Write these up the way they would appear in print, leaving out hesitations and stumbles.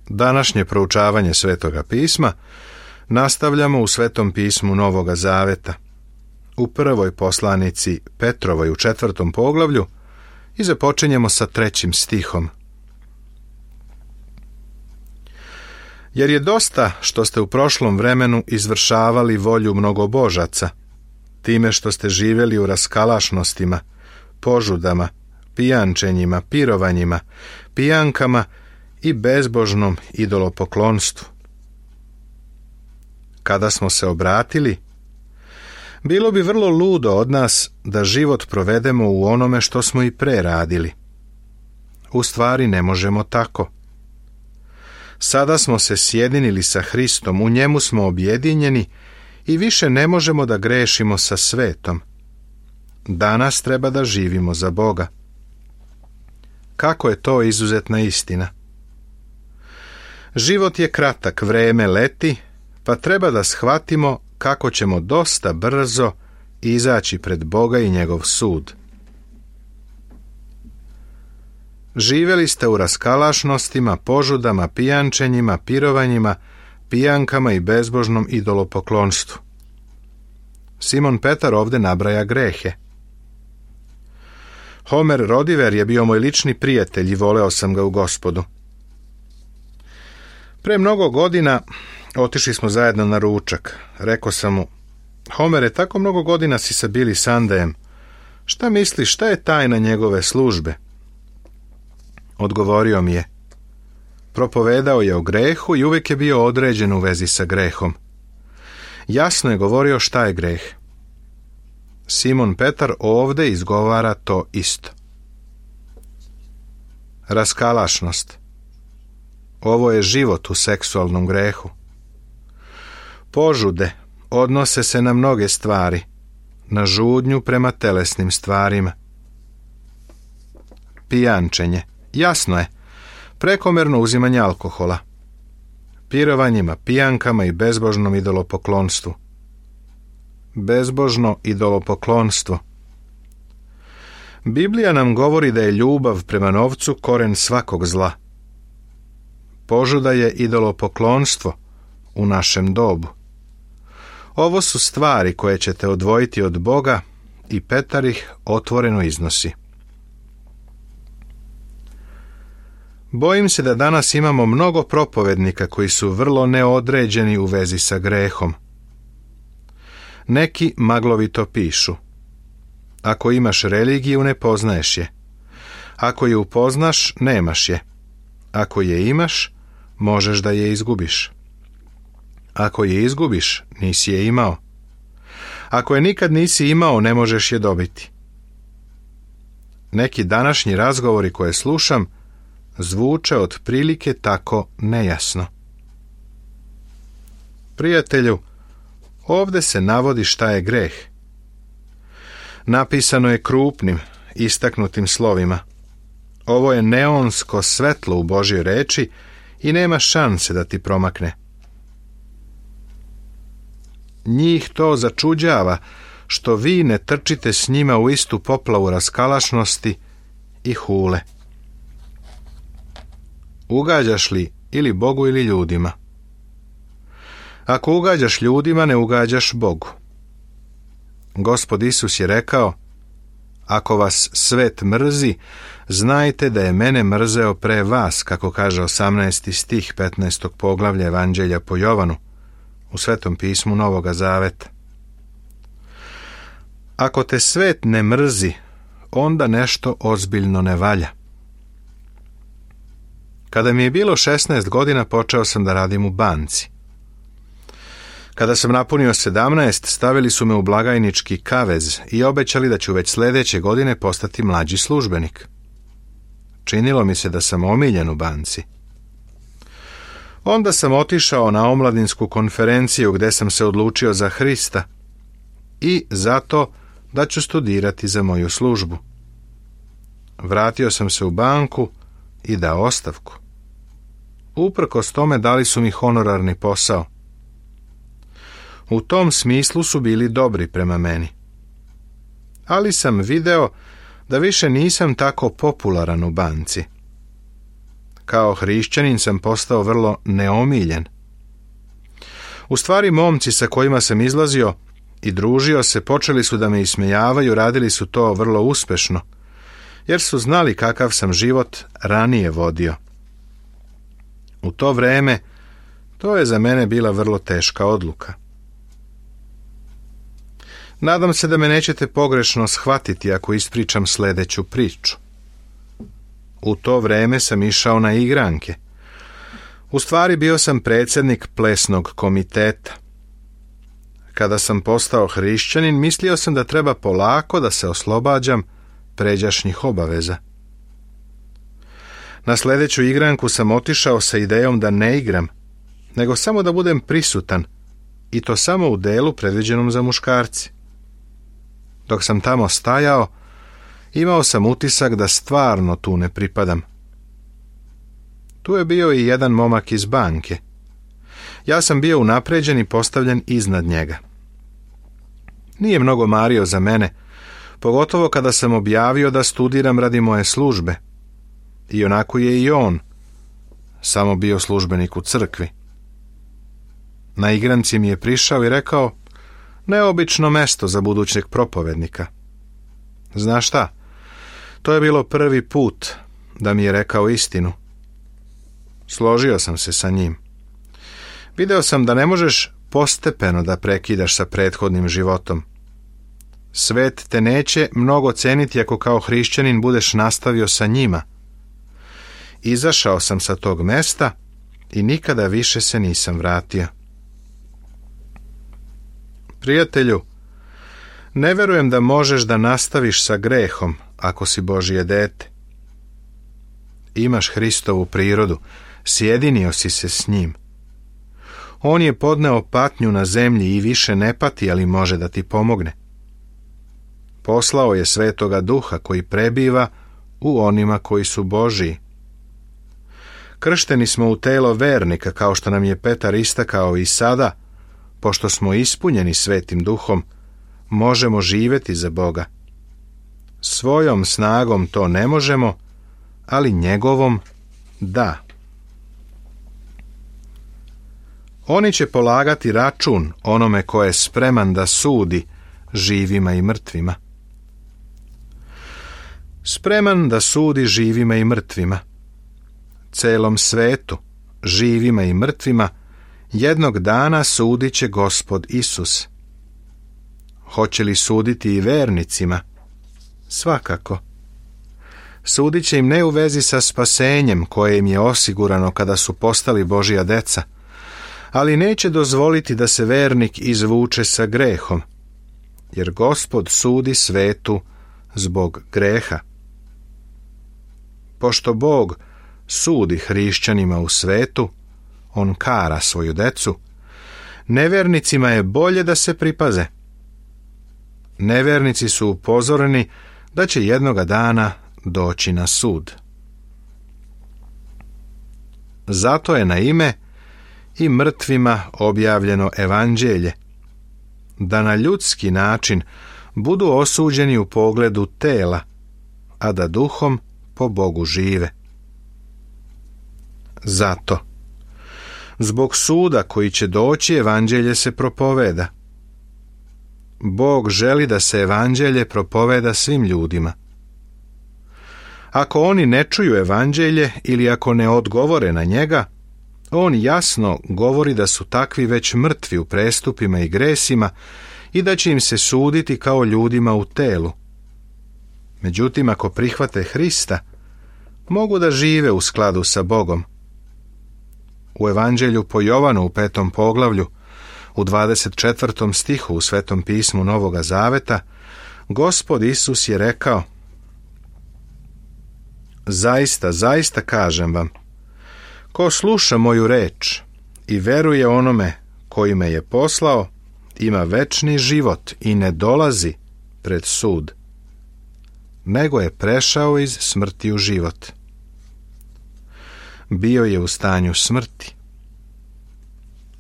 Današnje proučavanje Svetoga pisma nastavljamo u Svetom pismu Novoga Zaveta, u prvoj poslanici Petrovoj u 4. poglavlju i započinjemo sa 3. stihom. Jer je dosta što ste u prošlom vremenu izvršavali volju mnogobožaca, time što ste živjeli u raskalašnostima, požudama, pijančenjima, pirovanjima, pijankama i bezbožnom idolopoklonstvu. Kada smo se obratili, bilo bi vrlo ludo od nas da život provedemo u onome što smo i pre radili. U stvari ne možemo tako. Sada smo se sjedinili sa Hristom, u njemu smo objedinjeni i više ne možemo da grešimo sa svetom. Danas treba da živimo za Boga. Kako je to izuzetna istina? Život je kratak, vreme leti, pa treba da shvatimo kako ćemo dosta brzo izaći pred Boga i njegov sud. Živjeli ste u raskalašnostima, požudama, pijančenjima, pirovanjima, pijankama i bezbožnom idolopoklonstvu. Simon Petar ovdje nabraja grehe. Homer Rodiver je bio moj lični prijatelj i voleo sam ga u Gospodu. Pre mnogo godina otišli smo zajedno na ručak. Rekao sam mu: Homere, tako mnogo godina si sa Billy Sundayem. Šta misliš, šta je tajna njegove službe? Odgovorio mi je: propovedao je o grehu i uvijek je bio određen u vezi sa grehom. Jasno je govorio šta je greh. Simon Petar ovdje izgovara to isto. Raskalašnost. Ovo je život u seksualnom grehu. Požude odnose se na mnoge stvari, na žudnju prema telesnim stvarima. Pijančenje. Jasno je, prekomerno uzimanje alkohola. Pirovanjima, pijankama i bezbožnom idolopoklonstvu. Bezbožno idolopoklonstvo. Biblija nam govori da je ljubav prema novcu koren svakog zla. Požuda je idolopoklonstvo u našem dobu. Ovo su stvari koje ćete odvojiti od Boga i Petar ih otvoreno iznosi. Bojim se da danas imamo mnogo propovednika koji su vrlo neodređeni u vezi sa grehom. Neki maglovito pišu: ako imaš religiju, ne poznaješ je. Ako je upoznaš, nemaš je. Ako je imaš, možeš da je izgubiš. Ako je izgubiš, nisi je imao. Ako je nikad nisi imao, ne možeš je dobiti. Neki današnji razgovori koje slušam zvuče otprilike tako nejasno. Prijatelju, ovdje se navodi šta je greh. Napisano je krupnim, istaknutim slovima. Ovo je neonsko svetlo u Božjoj reči i nema šanse da ti promakne. Njih to začuđava što vi ne trčite s njima u istu poplavu raskalašnosti i hule. Ugađaš li ili Bogu ili ljudima? Ako ugađaš ljudima, ne ugađaš Bogu. Gospod Isus je rekao: ako vas svet mrzi, znajte da je mene mrzeo pre vas, kako kaže 18. stih 15. poglavlja Evanđelja po Jovanu u Svetom pismu Novoga Zaveta. Ako te svet ne mrzi, onda nešto ozbiljno ne valja. Kada mi je bilo 16 godina, počeo sam da radim u banci. Kada sam napunio 17, stavili su me u blagajnički kavez i obećali da ću već sljedeće godine postati mlađi službenik. Činilo mi se da sam omiljen u banci. Onda sam otišao na omladinsku konferenciju gdje sam se odlučio za Hrista i zato da ću studirati za moju službu. Vratio sam se u banku i dao ostavku. Uprkos tome dali su mi honorarni posao. U tom smislu su bili dobri prema meni. Ali sam video da više nisam tako popularan u banci. kao hrišćanin sam postao vrlo neomiljen. U stvari, momci sa kojima sam izlazio i družio se počeli su da me ismejavaju, radili su to vrlo uspešno, jer su znali kakav sam život ranije vodio. U to vreme to je za mene bila vrlo teška odluka. Nadam se da me nećete pogrešno shvatiti ako ispričam sledeću priču. U to vreme sam išao na igranke. U stvari bio sam predsjednik plesnog komiteta. Kada sam postao hrišćanin, mislio sam da treba polako da se oslobađam pređašnjih obaveza. Na sledeću igranku sam otišao sa idejom da ne igram, nego samo da budem prisutan, i to samo u delu predviđenom za muškarci. Dok sam tamo stajao, imao sam utisak da stvarno tu ne pripadam. Tu je bio i jedan momak iz banke. Ja sam bio unapređen i postavljen iznad njega. Nije mnogo mario za mene, pogotovo kada sam objavio da studiram radi moje službe. I onako je i on samo bio službenik u crkvi. Na igranci mi je prišao i rekao: neobično mesto za budućeg propovednika. Znaš šta? To je bilo prvi put da mi je rekao istinu. Složio sam se sa njim. Video sam da ne možeš postepeno da prekidaš sa prethodnim životom. Svet te neće mnogo ceniti ako kao hrišćanin budeš nastavio sa njima. Izašao sam sa tog mesta i nikada više se nisam vratio. Prijatelju, ne verujem da možeš da nastaviš sa grehom ako si Božje dete. Imaš Hristovu prirodu, sjedinio si se s njim. On je podneo patnju na zemlji i više ne pati, ali može da ti pomogne. Poslao je Svetoga Duha koji prebiva u onima koji su Božji. Kršteni smo u telo vernika, kao što nam je Petar istakao, i sada, pošto smo ispunjeni Svetim Duhom, možemo živjeti za Boga. Svojom snagom to ne možemo, ali njegovom da. Oni će polagati račun onome ko je spreman da sudi živima i mrtvima. Spreman da sudi živima i mrtvima. Celom svetu, živima i mrtvima, jednog dana sudit će Gospod Isus. Hoće li suditi i vernicima? Svakako. Sudit će im ne u vezi sa spasenjem koje im je osigurano kada su postali Božja deca, ali neće dozvoliti da se vernik izvuče sa grehom, jer Gospod sudi svetu zbog greha. Pošto Bog sudi hrišćanima u svetu, on kara svoju decu, nevernicima je bolje da se pripaze. Nevernici su upozoreni da će jednoga dana doći na sud. Zato je na ime i mrtvima objavljeno evanđelje, da na ljudski način budu osuđeni u pogledu tela, a da duhom po Bogu žive. Zato, zbog suda koji će doći, evanđelje se propoveda. Bog želi da se evanđelje propoveda svim ljudima. Ako oni ne čuju evanđelje ili ako ne odgovore na njega, on jasno govori da su takvi već mrtvi u prestupima i gresima i da će im se suditi kao ljudima u telu. Međutim, ako prihvate Hrista, mogu da žive u skladu sa Bogom. U evanđelju po Jovanu u 5. poglavlju, u 24. stihu u Svetom pismu Novoga Zaveta, Gospod Isus je rekao: zaista, zaista kažem vam, ko sluša moju reč i veruje onome koji me je poslao, ima večni život i ne dolazi pred sud, nego je prešao iz smrti u život. Bio je u stanju smrti.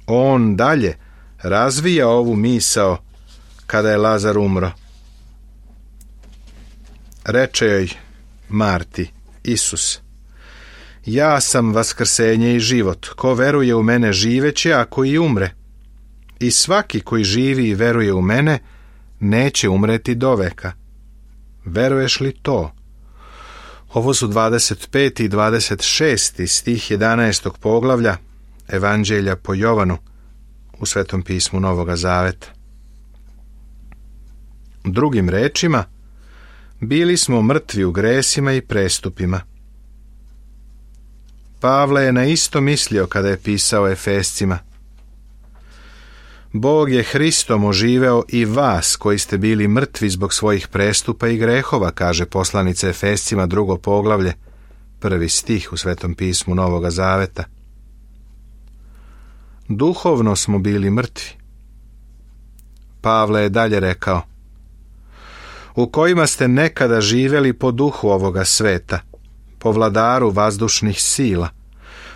On dalje razvija ovu misao kada je Lazar umro. Reče joj Marti Isus: Ja sam vaskrsenje i život. Ko veruje u mene živeće, ako i umre. I svaki koji živi i veruje u mene, neće umreti doveka. Veruješ li to? Ovo su 25. i 26. stih 11. poglavlja Evanđelja po Jovanu u Svetom pismu Novoga Zaveta. Drugim rečima, bili smo mrtvi u gresima i prestupima. Pavle je na isto mislio kada je pisao Efescima. Bog je Hristom oživeo i vas koji ste bili mrtvi zbog svojih prestupa i grehova, kaže poslanica Efescima 2. poglavlje, 1. stih u Svetom pismu Novoga Zaveta. Duhovno smo bili mrtvi. Pavle je dalje rekao, u kojima ste nekada živjeli po duhu ovoga sveta, po vladaru vazdušnih sila,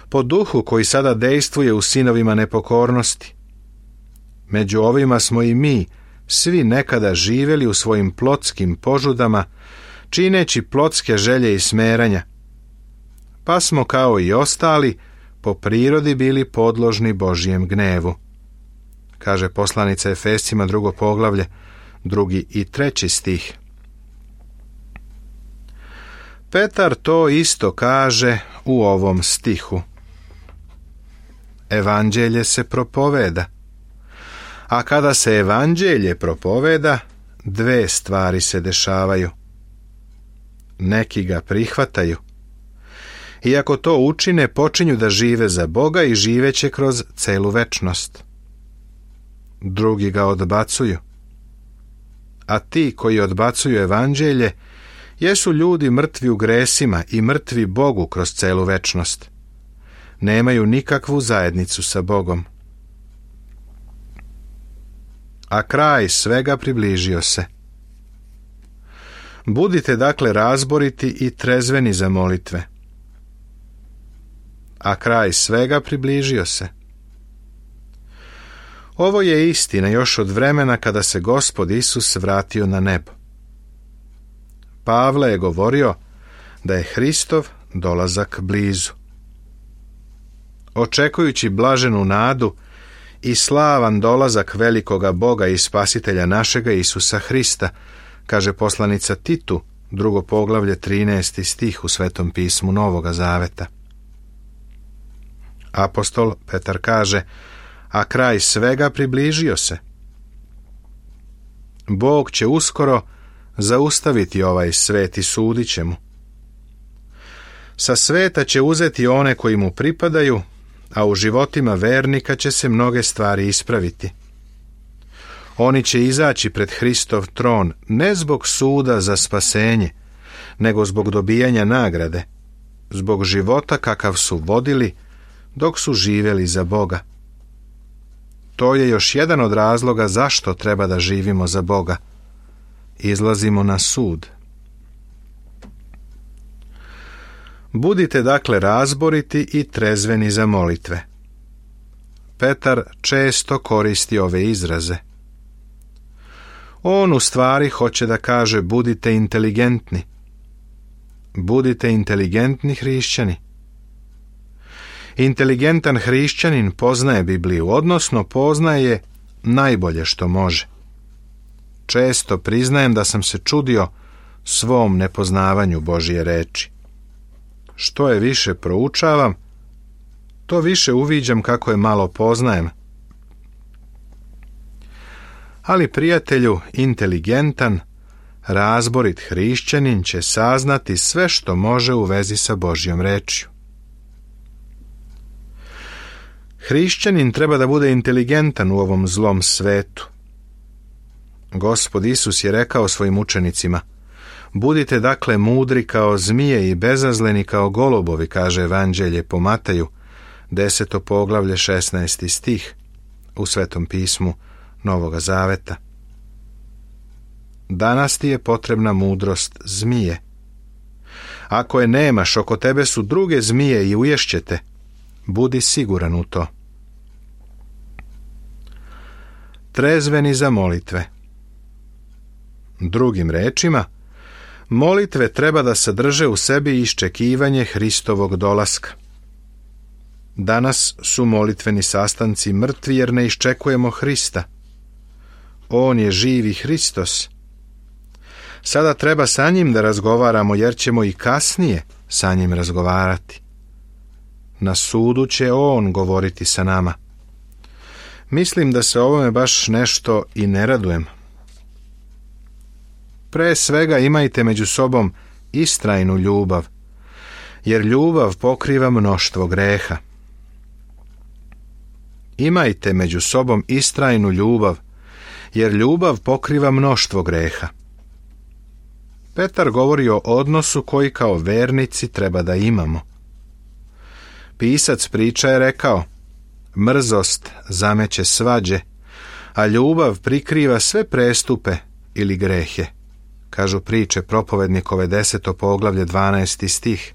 po duhu koji sada dejstvuje u sinovima nepokornosti. Među ovima smo i mi, svi nekada živjeli u svojim plotskim požudama, čineći plotske želje i smeranja. Pa smo kao i ostali, po prirodi bili podložni Božijem gnevu. Kaže poslanica Efescima 2. poglavlje, 2. i 3. stih. Petar to isto kaže u ovom stihu. Evanđelje se propoveda. A kada se evanđelje propoveda, dve stvari se dešavaju. Neki ga prihvataju. I ako to učine, počinju da žive za Boga i živeće kroz celu večnost. Drugi ga odbacuju. A ti koji odbacuju evanđelje, jesu ljudi mrtvi u gresima i mrtvi Bogu kroz celu večnost. Nemaju nikakvu zajednicu sa Bogom. A kraj svega približio se. Budite dakle razboriti i trezveni za molitve. A kraj svega približio se. Ovo je istina još od vremena kada se Gospod Isus vratio na nebo. Pavle je govorio da je Hristov dolazak blizu. Očekujući blaženu nadu i slavan dolazak velikoga Boga i Spasitelja našega Isusa Hrista, kaže poslanica Titu, 2. poglavlje 13. stih u Svetom pismu Novoga Zaveta. Apostol Petar kaže, a kraj svega približio se. Bog će uskoro zaustaviti ovaj svet i sudit će mu. Sa sveta će uzeti one koji mu pripadaju, a u životima vernika će se mnoge stvari ispraviti. Oni će izaći pred Hristov tron ne zbog suda za spasenje, nego zbog dobijanja nagrade, zbog života kakav su vodili dok su živjeli za Boga. To je još jedan od razloga zašto treba da živimo za Boga. Izlazimo na sud. Budite dakle razboriti i trezveni za molitve. Petar često koristi ove izraze. On u stvari hoće da kaže budite inteligentni. Budite inteligentni hrišćani. Inteligentan hrišćanin poznaje Bibliju, odnosno poznaje najbolje što može. Često priznajem da sam se čudio svom nepoznavanju Božje reči. Što je više proučavam, to više uviđam kako je malo poznajem. Ali prijatelju, inteligentan, razborit hrišćanin će saznati sve što može u vezi sa Božjom rečju. Hrišćanin treba da bude inteligentan u ovom zlom svetu. Gospod Isus je rekao svojim učenicima, budite dakle mudri kao zmije i bezazleni kao golubovi, kaže Evanđelje po Mateju, 10. poglavlje 16. stih u Svetom pismu Novoga Zaveta. Danas ti je potrebna mudrost zmije. Ako je nemaš, oko tebe su druge zmije i uješćete. Budi siguran u to. Trezveni za molitve. Drugim rečima, Molitve treba da sadrže u sebi iščekivanje Hristovog dolaska. Danas su molitveni sastanci mrtvi jer ne iščekujemo Hrista. On je živi Hristos. Sada treba sa njim da razgovaramo jer ćemo i kasnije sa njim razgovarati. Na sudu će on govoriti sa nama. Mislim da se ovome baš nešto i ne radujem. Pre svega imajte među sobom istrajnu ljubav, jer ljubav pokriva mnoštvo greha. Imajte među sobom istrajnu ljubav, jer ljubav pokriva mnoštvo greha. Petar govori o odnosu koji kao vernici treba da imamo. Pisac priča je rekao: mrzost zameće svađe, a ljubav prikriva sve prestupe ili grehe, kažu priče propovednikove 10. poglavlje 12. stih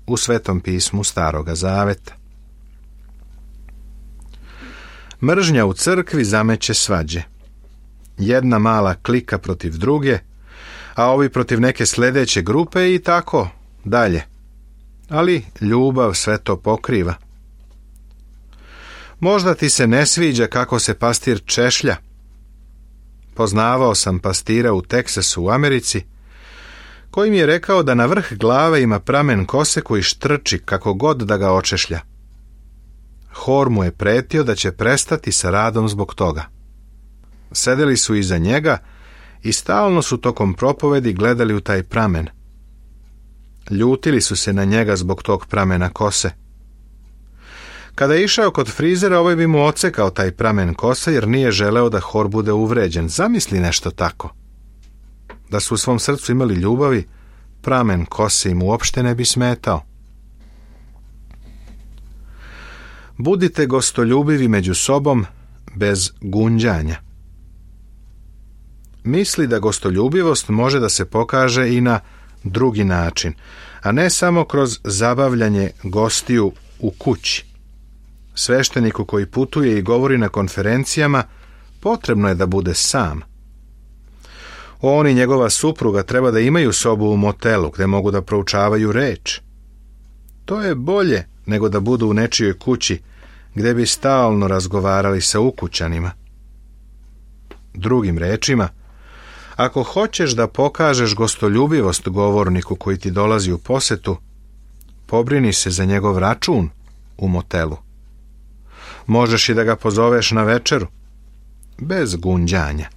u Svetom pismu Staroga Zaveta. Mržnja u crkvi zameće svađe. Jedna mala klika protiv druge, a ovi protiv neke sljedeće grupe i tako dalje. Ali ljubav sve to pokriva. Možda ti se ne sviđa kako se pastir češlja. Poznavao sam pastira u Teksasu u Americi, koji mi je rekao da na vrh glave ima pramen kose koji štrči kako god da ga očešlja. Hor mu je pretio da će prestati sa radom zbog toga. Sedeli su iza njega i stalno su tokom propovedi gledali u taj pramen. Ljutili su se na njega zbog tog pramena kose. Kada je išao kod frizera, ovaj bi mu ocekao taj pramen kose jer nije želeo da hor bude uvređen. Zamisli nešto tako. Da su u svom srcu imali ljubavi, pramen kose im uopšte ne bi smetao. Budite gostoljubivi među sobom bez gunđanja. Misli da gostoljubivost može da se pokaže i na drugi način, a ne samo kroz zabavljanje gostiju u kući. Svešteniku koji putuje i govori na konferencijama potrebno je da bude sam. On i njegova supruga treba da imaju sobu u motelu gde mogu da proučavaju reč. To je bolje nego da budu u nečijoj kući gde bi stalno razgovarali sa ukućanima. Drugim rečima, ako hoćeš da pokažeš gostoljubivost govorniku koji ti dolazi u posetu, pobrini se za njegov račun u motelu. Možeš i da ga pozoveš na večeru, bez gunđanja.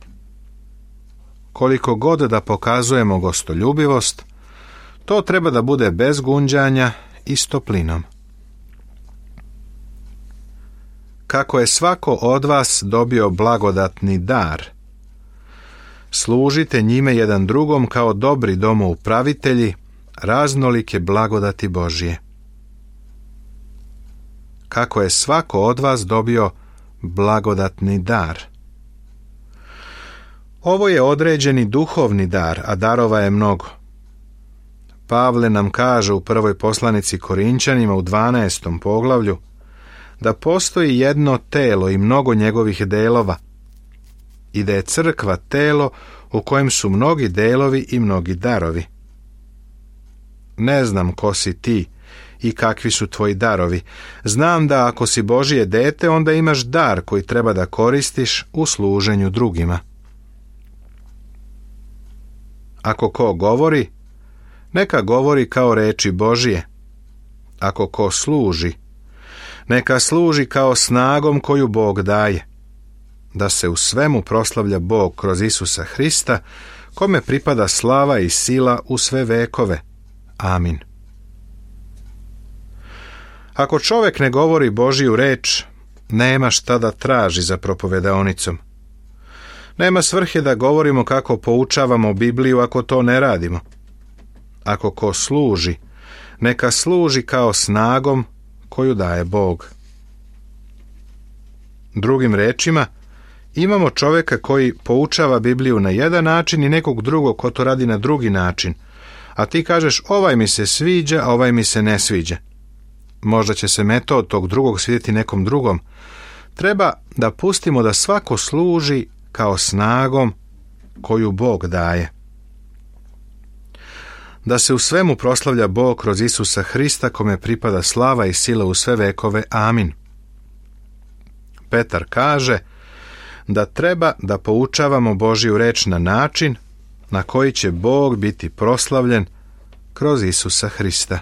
Koliko god da pokazujemo gostoljubivost, to treba da bude bez gunđanja i s toplinom. Kako je svako od vas dobio blagodatni dar, služite njime jedan drugom kao dobri domoupravitelji raznolike blagodati Božje. Kako je svako od vas dobio blagodatni dar. Ovo je određeni duhovni dar, a darova je mnogo. Pavle nam kaže u prvoj poslanici Korinćanima u 12. poglavlju da postoji jedno telo i mnogo njegovih delova i da je crkva telo u kojem su mnogi delovi i mnogi darovi. Ne znam ko si ti i kakvi su tvoji darovi. Znam da ako si Božje dete, onda imaš dar koji treba da koristiš u služenju drugima. Ako ko govori, neka govori kao reči Božje. Ako ko služi, neka služi kao snagom koju Bog daje, da se u svemu proslavlja Bog kroz Isusa Hrista, kome pripada slava i sila u sve vekove. Amin. Ako čovjek ne govori Božju reč, nema šta da traži za propovedaonicom. Nema svrhe da govorimo kako poučavamo Bibliju ako to ne radimo. Ako ko služi, neka služi kao snagom koju daje Bog. Drugim rečima, imamo čovjeka koji poučava Bibliju na jedan način i nekog drugog ko to radi na drugi način, a ti kažeš ovaj mi se sviđa, a ovaj mi se ne sviđa. Možda će se metod tog drugog svidjeti nekom drugom. Treba da pustimo da svako služi kao snagom koju Bog daje. da se u svemu proslavlja Bog kroz Isusa Hrista, kome pripada slava i sila u sve vekove. Amin. Petar kaže da treba da poučavamo Božju reč na način na koji će Bog biti proslavljen kroz Isusa Hrista.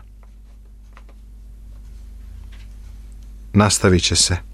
Nastavit će se.